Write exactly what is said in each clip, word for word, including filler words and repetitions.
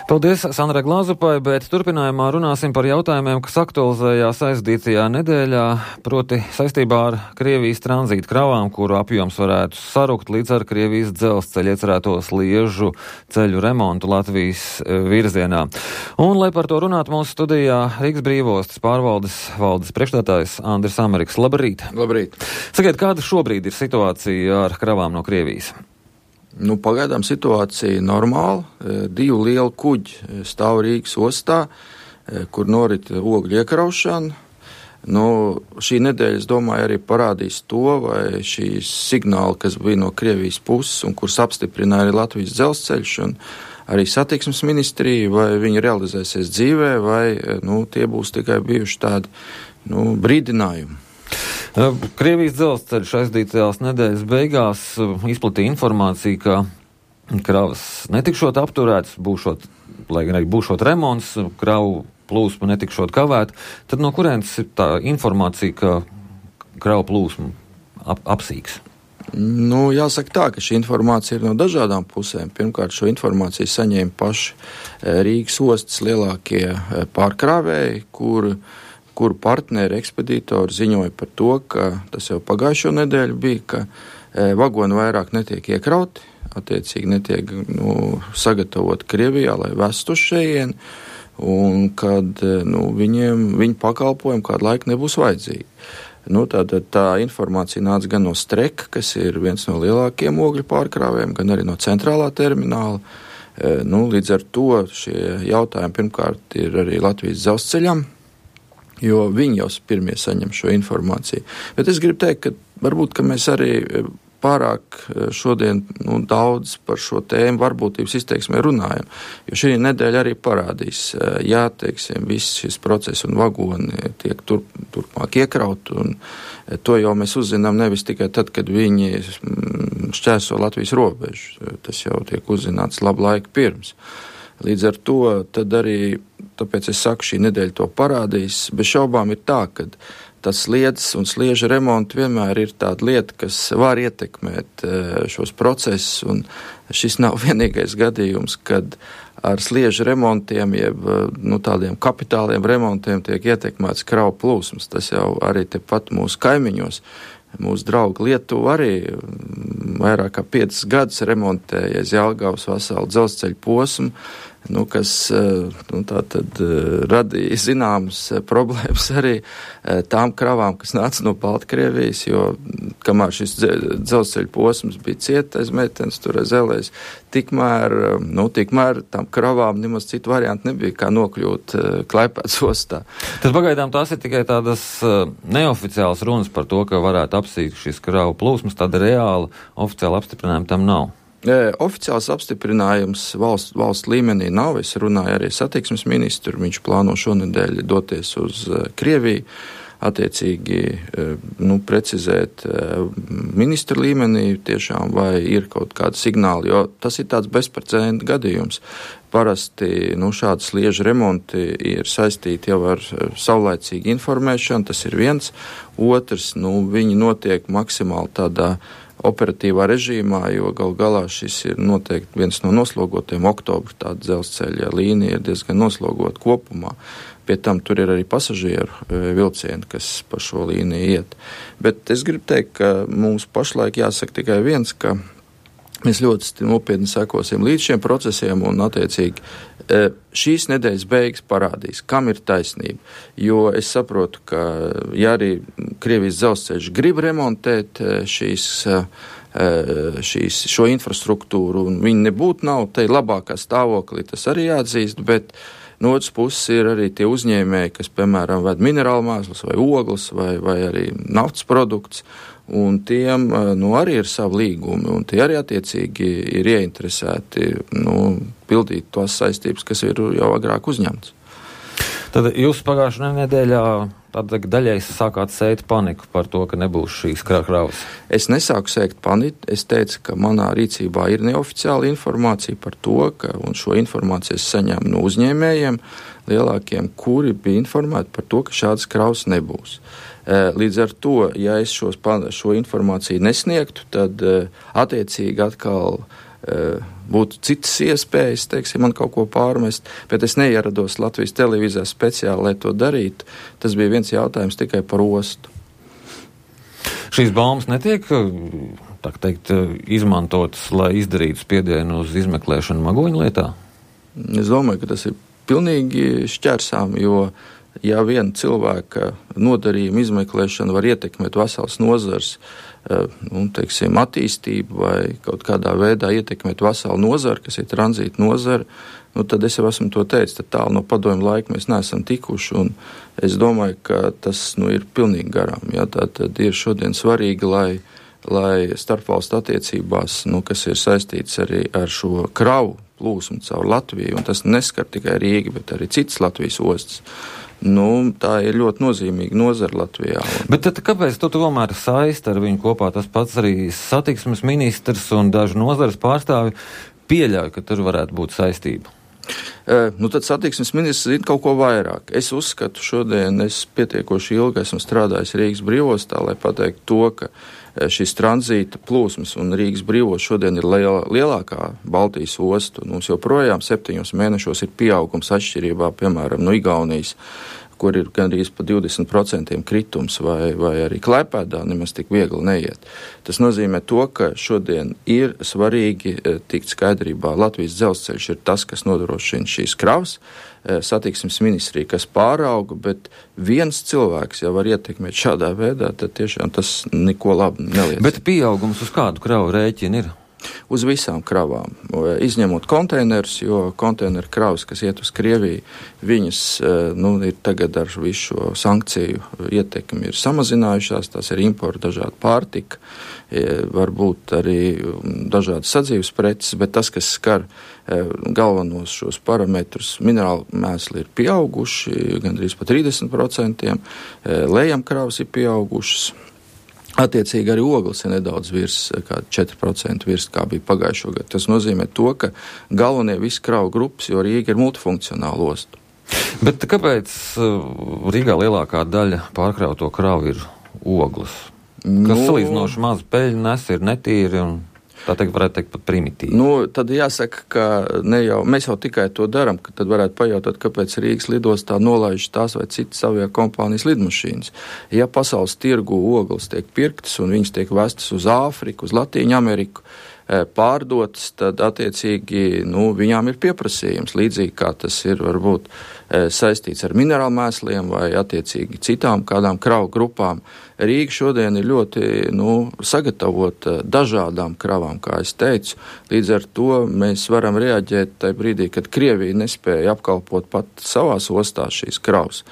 Paldies Sandrai Glāzupai, bet turpinājumā runāsim par jautājumiem, kas aktualizējās aizdītajā nedēļā, proti saistībā ar Krievijas tranzīta kravām, kuru apjoms varētu sarukt līdz ar Krievijas dzelzceļa iecerēto sliežu ceļu remontu Latvijas virzienā. Un, lai par to runātu, mūsu studijā Rīgas Brīvostas pārvaldes valdes priekšstādātājs Andris Ameriks. Labrīt! Labrīt! Sakiet, kāda šobrīd ir situācija ar kravām no Krievijas? Nu, pagaidām situācija normāla. Divu lielu kuģi stāv Rīgas ostā, kur norit ogļu iekraušana. Nu, šī nedēļa, es domāju, arī parādīs to, vai šīs signāli, kas bija no Krievijas puses un kurus apstiprināja arī Latvijas dzelzceļš un arī satiksmes ministrija, vai viņi realizēsies dzīvē, vai nu, tie būs tikai bijuši tādi nu, brīdinājumi. Krievijas dzelzceļš aizdītajās nedēļas beigās izplatīja informāciju, ka kravas netikšot apturētas, būšot, lai gan arī būšot remonts, kravu plūsma netikšot kavēt. Tad no kurienes ir tā informācija, ka kravu plūsma ap, apsīks? Nu, jāsaka tā, ka šī informācija ir no dažādām pusēm. Pirmkārt, šo informāciju saņēma paši Rīgas ostas lielākie pārkrāvēji, kur kuru partneri ekspedītori ziņoja par to, ka tas jau pagājušo nedēļu bija, ka e, vagoni vairāk netiek iekrauti, attiecīgi netiek nu, sagatavoti Krievijā, lai vestu šejieni, un kad nu, viņiem, viņu pakalpojumi kādu laiku nebūs vajadzīgi. Nu, tātad tā informācija nāca gan no Streka, kas ir viens no lielākajiem ogļu pārkrāvējiem, gan arī no centrālā termināla. E, nu, līdz ar to šie jautājumi pirmkārt ir arī Latvijas dzelzceļam, jo viņi jau pirmie saņem šo informāciju. Bet es gribu teikt, ka varbūt, ka mēs arī pārāk šodien nu, daudz par šo tēmu varbūtības izteiksmē runājam, jo šī nedēļa arī parādīs, jā, teiksim, viss šis process un vagoni tiek tur, turpmāk iekraut, un to jau mēs uzzinām nevis tikai tad, kad viņi šķērso Latvijas robežu, tas jau tiek uzzināts labu laiku pirms. Līdz ar to tad arī, tāpēc es saku, šī nedēļa to parādīs, bez šaubām ir tā, ka tas sliedes un slieža remonti vienmēr ir tāda lieta, kas var ietekmēt šos procesus, un šis nav vienīgais gadījums, kad ar slieža remontiem, jeb nu, tādiem kapitāliem remontiem tiek ietekmēts kravu plūsmas. Tas jau arī tepat mūsu kaimiņos. Mūsu draugi Lietuva arī vairāk kā piecus gadus remontējies Jelgavas veselu dzelzceļa posmu, nu, kas nu, tā tad radīja zināmas problēmas arī tām kravām, kas nāca no Baltkrievijas, jo kamēr šis dzelzceļa posms bija cieta aiz meitenes, tur aiz elēs, tikmēr, nu, tikmēr tām kravām nemaz citu variantu nebija, kā nokļūt Klaipēdas ostā. Tad pagaidām tās ir tikai tādas neoficiālas runas par to, ka varētu apsīkt šis kravu plūsmas, tāda reāla oficiāla apstiprinājuma tam nav. Oficiāls apstiprinājums valsts, valsts līmenī nav. Es runāju arī satiksmes ministru, viņš plāno šonedēļ doties uz Krieviju, attiecīgi nu, precizēt ministru līmenī tiešām, vai ir kaut kāda signāla, jo tas ir tāds bezprecedenta gadījums. Parasti nu, šādi sliežu remonti ir saistīti jau ar savlaicīgu informēšanu, tas ir viens. Otrs, nu, viņi notiek maksimāli tādā operatīvā režīmā, jo gal galā šis ir noteikti viens no noslogotiem. Oktobra tāda dzelzceļa līnija ir diezgan noslogota kopumā. Pie tam tur ir arī pasažieru vilcieni, kas pa šo līniju iet. Bet es gribu teikt, ka mums pašlaik jāsaka tikai viens, ka mēs ļoti nopietni sekosim līdz šiem procesiem un attiecīgi šīs nedēļas beigas parādīs, kam ir taisnība. Jo es saprotu, ka ja arī Krievijas dzelzceļš grib remontēt šīs, šīs, šo infrastruktūru un viņi nebūtu nav te labākā stāvoklī, tas arī jāatzīst, bet no otras puses ir arī tie uzņēmēji, kas, piemēram, ved minerālu mēslus vai ogles vai, vai arī naftas produkts, un tiem nu, arī ir savi līgumi, un tie arī attiecīgi ir ieinteresēti nu, pildīt tos saistības, kas ir jau agrāk uzņemts. Tad jūs pagājušajā nedēļā tāda daļai sākāt sēt paniku par to, ka nebūs šīs kravas. Es nesāku sēt paniku, es teicu, ka manā rīcībā ir neoficiāla informācija par to, ka, un šo informāciju es saņēmu no uzņēmējiem lielākiem, kuri bija informēti par to, ka šādas kravas nebūs. Līdz ar to, ja es šos, šo informāciju nesniegtu, tad attiecīgi atkal būtu citas iespējas, teiksim, man kaut ko pārmest, bet es neierados Latvijas televīzijā speciāli, lai to darītu. Tas bija viens jautājums tikai par ostu. Šīs baumas netiek, tā teikt, izmantotas, lai izdarītu spiedienu uz izmeklēšanu Magoņu lietā? Es domāju, ka tas ir pilnīgi šķērsām, jo ja viena cilvēka nodarījuma izmeklēšana var ietekmēt vesels nozars, nu, teiksim, attīstību vai kaut kādā veidā ietekmēt veselu nozaru, kas ir tranzīta nozara, nu, tad es jau esmu to teicis, tad tālu no padomju laika mēs neesam tikuši, un es domāju, ka tas, nu, ir pilnīgi garām. Ja, tā tad ir šodien svarīgi, lai, lai starpvalstu attiecībās, nu, kas ir saistīts arī ar šo kravu plūsmu caur Latviju, un tas neskar tikai Rīgu, bet arī citas Latvijas ostas. Nu, tā ir ļoti nozīmīga nozara Latvijā. Un... Bet tad kāpēc tu tomēr saisti ar viņu kopā? Tas pats arī satiksmes ministrs un daži nozares pārstāvi pieļauj, ka tur varētu būt saistība. E, nu tad satiksmes ministrs zina kaut ko vairāk. Es uzskatu, šodien es pietiekoši ilgi esmu strādājis Rīgas brīvostā, lai pateiktu to, ka šis tranzīta plūsmas un Rīgas brīvos šodien ir liela, lielākā Baltijas ostu. Mums joprojām septiņos mēnešos ir pieaugums atšķirībā, piemēram, no Igaunijas, kur ir gandrīz pa divdesmit procenti kritums, vai, vai arī Klaipēdā nemaz tik viegli neiet. Tas nozīmē to, ka šodien ir svarīgi tikt skaidrībā. Latvijas dzelzceļš ir tas, kas nodrošina šīs kravas, satiksmes ministrija, kas pārauga, bet viens cilvēks jau var ietekmēt šādā veidā, tad tiešām tas neko labi neliecina. Bet pieaugums uz kādu kravu rēķinu ir? Uz visām kravām, izņemot konteinerus, jo konteineru kravas, kas iet uz Krieviju, viņas, nu, ir tagad ar visu šo sankciju ietekmi ir samazinājušās, tās ir importa dažādi pārtika, varbūt arī dažādas sadzīves preces, bet tas, kas skar galvenos šos parametrus, minerāli mēsli ir pieauguši, gandrīz pa trīsdesmit procenti, lejamkravas ir pieaugušas. Attiecīgi arī ogles ir nedaudz virs, kā četri procenti virs, kā bija pagājušo gadu. Tas nozīmē to, ka galvenie visi kravu grupas, jo Rīga ir multifunkcionāla osta. Bet kāpēc Rīgā lielākā daļa pārkrauto kravu ir ogles? Kas nu, salīdzinoši maz peļņu nes, ir netīri un... Tā teikt, varētu teikt pat primitīvi. Nu, tad jāsaka, ka ne jau, mēs jau tikai to daram, ka tad varētu pajautāt, kāpēc Rīgas lidostā nolaiž tās vai citas avio kompānijas lidmašīnas. Ja pasaules tirgu ogles tiek pirktas un viņas tiek vestas uz Āfriku, uz Latīņu Ameriku, pārdotas, tad attiecīgi, nu, viņām ir pieprasījums, līdzīgi kā tas ir varbūt saistīts ar minerālmēsliem vai attiecīgi citām kādām kravu grupām. Rīga šodien ir ļoti, nu, sagatavota dažādām kravām, kā es teicu. Līdz ar to mēs varam reaģēt tajā brīdī, kad Krievija nespēja apkalpot pat savās ostās šīs kravas.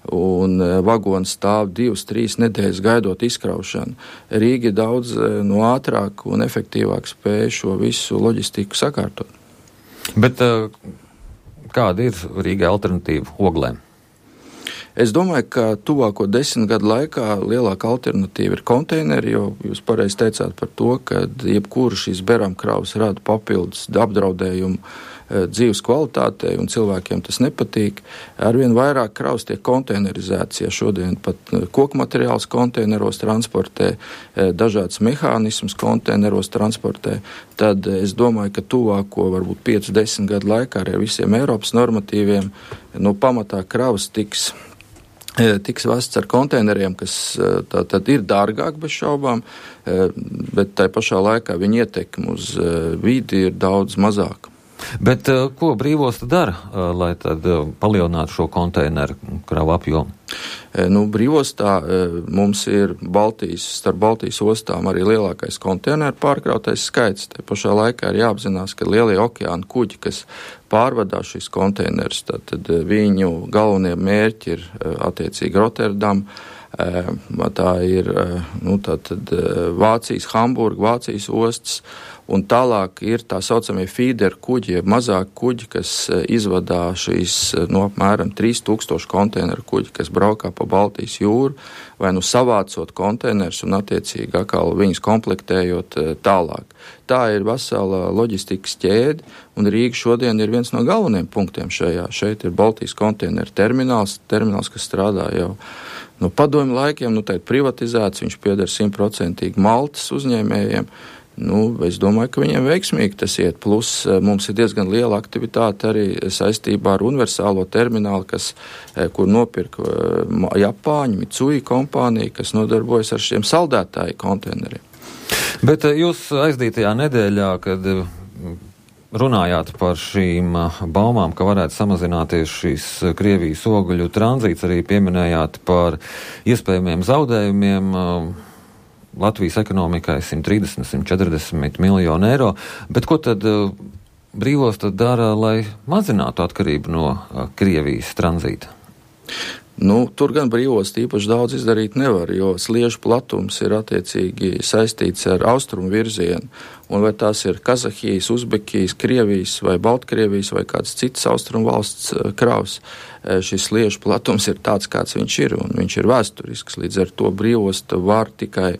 Un vagoni stāv divas, trīs nedēļas gaidot izkraušanu. Rīga daudz no ātrāk un efektīvāk spēja šo visu loģistiku sakārtot. Bet kāda ir Rīgai alternatīva oglēm? Es domāju, ka tuvāko desmit gadu laikā lielāka alternatīva ir konteineri, jo jūs pareizi teicāt par to, ka jebkura šīs beramkravas rada papildus apdraudējumu dzīves kvalitātei, un cilvēkiem tas nepatīk. Arvien vairāk kravas tiek konteinerizēts, ja šodien pat koku materiāls konteineros transportē, dažādas mehānismus konteineros transportē, tad es domāju, ka tuvāko varbūt piecu desmit gadu laikā ar visiem Eiropas normatīviem no pamatā kravas tiks tiks vests ar konteineriem, kas tā tad ir dārgāk bez šaubām, bet tai pašā laikā viņa ietekme uz vidi ir daudz mazāka. Bet ko brīvosta dara, lai tad palielinātu šo konteineru kravu apjomu? Nu, brīvostā mums ir Baltijas, starp Baltijas ostām arī lielākais konteineru pārkrautais skaits. Te pašā laikā ir jāapzinās, ka lielie okeāna kuģi, kas pārvadā šīs konteinerus, tad viņu galvenie mērķi ir attiecīgi Rotterdam, tā ir nu, tā tad Vācijas, Hamburga, Vācijas ostas, un tālāk ir tā saucamie feeder kuģi, mazāk kuģi, kas izvadā šīs no apmēram trīs tūkstoši konteineru kuģi, kas braukā pa Baltijas jūru, vai nu savācot konteinerus un attiecīgi atkal viņus komplektējot tālāk. Tā ir vesela loģistikas ķēde, un Rīga šodien ir viens no galvenajiem punktiem šajā. Šeit ir Baltijas konteineru termināls, termināls, kas strādā jau no padomju laikiem, nu tā ir privatizēts, viņš pieder simtprocentīgi Maltas uzņēmējiem. Nu, es domāju, ka viņiem veiksmīgi tas iet. Plus mums ir diezgan liela aktivitāte arī saistībā ar universālo terminālu, kas, kur nopirka Japāņu Mitsui kompānija, kas nodarbojas ar šiem saldētāju konteineriem. Bet jūs aizdītajā nedēļā, kad runājāt par šīm baumām, ka varētu samazināties šīs Krievijas ogļu tranzīts, arī pieminējāt par iespējamiem zaudējumiem Latvijas ekonomikai simt trīsdesmit līdz simt četrdesmit miljonu eiro, bet ko tad uh, brīvos tad dara, lai mazinātu atkarību no uh, Krievijas tranzīta? Nu, tur gan brīvos īpaši daudz izdarīt nevar, jo sliežu platums ir attiecīgi saistīts ar austrumu virzienu, un vai tās ir Kazahijas, Uzbekijas, Krievijas vai Baltkrievijas vai kāds cits austrumu valsts kravs, šis sliežu platums ir tāds, kāds viņš ir, un viņš ir vēsturisks, līdz ar to brīvosta var tikai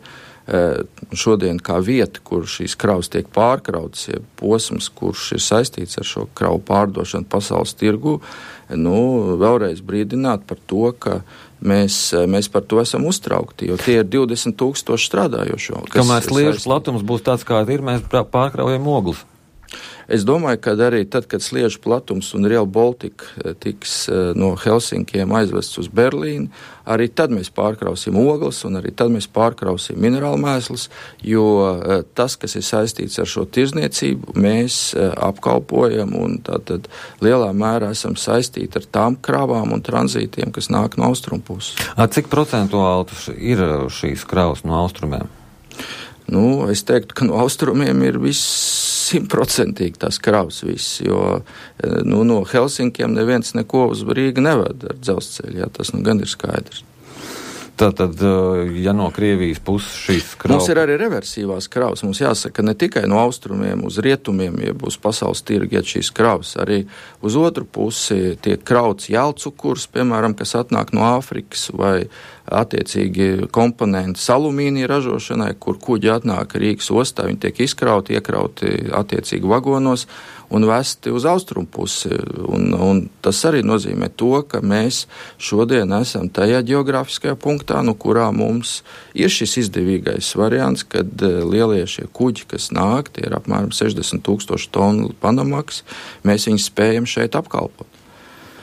šodien kā vieta, kur šīs kravas tiek pārkrautas, ja posms, kurš ir saistīts ar šo kravu pārdošanu pasaules tirgu, nu, vēlreiz brīdināt par to, ka mēs, mēs par to esam uztraukti, jo tie ir divdesmit tūkstoši strādājošo. Kamēr sliežu platums būs tāds, kā ir, mēs pārkraujam oglus. Es domāju, ka arī tad, kad sliežu platums un Rail Baltica tiks no Helsinkiem aizvests uz Berlīnu, arī tad mēs pārkrausim ogles un arī tad mēs pārkrausim minerālu mēslus, jo tas, kas ir saistīts ar šo tirzniecību, mēs apkalpojam un tātad lielā mērā esam saistīti ar tām kravām un tranzītiem, kas nāk no austrumu puses. Cik procentuāli ir šīs kravas no austrumiem? Nu, es teiktu, ka no austrumiem ir viss simtprocentīgi tās kravas viss, jo nu, no Helsinkiem neviens neko uz Rīgu neved ar dzelzceļu, jā, tas nu gan ir skaidrs. Tātad, ja no Krievijas puses šīs kravas... Mums ir arī reversivās kravas, mums jāsaka ne tikai no austrumiem uz rietumiem, ja būs pasaules tirgi, ja šīs kravas, arī uz otru pusi tiek krauts jālcukurs, piemēram, kas atnāk no Āfrikas vai attiecīgi komponenti alumīnija ražošanai, kur kuģi atnāk Rīgas ostā, viņi tiek izkrauti, iekrauti attiecīgi vagonos un vesti uz austrumu pusi. Un, un tas arī nozīmē to, ka mēs šodien esam tajā geogrāfiskajā punktā, no kurā mums ir šis izdevīgais variants, kad lielie šie kuģi, kas nāk, tie ir apmēram sešdesmit tūkstoši tonu Panamaks, mēs viņus spējam šeit apkalpot.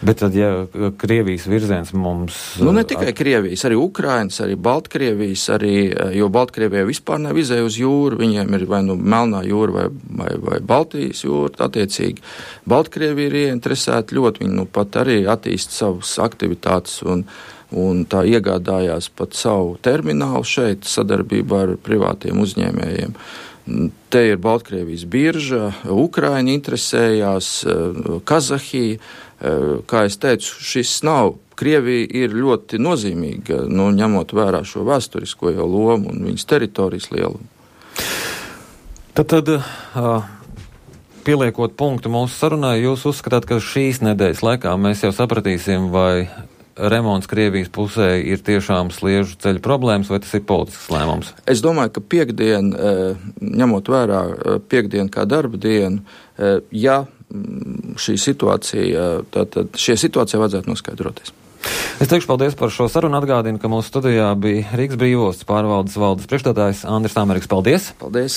Bet tad, ja Krievijas virziens mums... Nu, ne tikai Krievijas, arī Ukrainas, arī Baltkrievijas, arī, jo Baltkrievijai vispār nav izēja uz jūru, viņiem ir vai nu Melnā jūra vai, vai, vai Baltijas jūra, attiecīgi. Baltkrievija ir ieinteresēta ļoti, viņi nu pat arī attīst savas aktivitātes un, un tā iegādājās pat savu terminālu šeit sadarbībā ar privātiem uzņēmējiem. Te ir Baltkrievijas birža, Ukraina interesējās, Kazahija. Kā es teicu, šis nav. Krievija ir ļoti nozīmīga, nu, ņemot vērā šo vēsturisko jau lomu un viņas teritorijas lielumu. Tad, tad uh, pieliekot punktu mūsu sarunai, jūs uzskatāt, ka šīs nedēļas laikā mēs jau sapratīsim, vai remonts Krievijas pusē ir tiešām sliežu ceļu problēmas, vai tas ir politisks lēmums? Es domāju, ka piekdien, ņemot vērā piekdienu kā darba dienu, ja šī situācija, tātad šie situācija vajadzētu noskaidroties. Es teikšu paldies par šo sarunu, atgādinu, ka mūsu studijā bija Rīgas Brīvostas pārvaldes valdes priekšstādājs Andris Tāmeriks. Paldies! Paldies!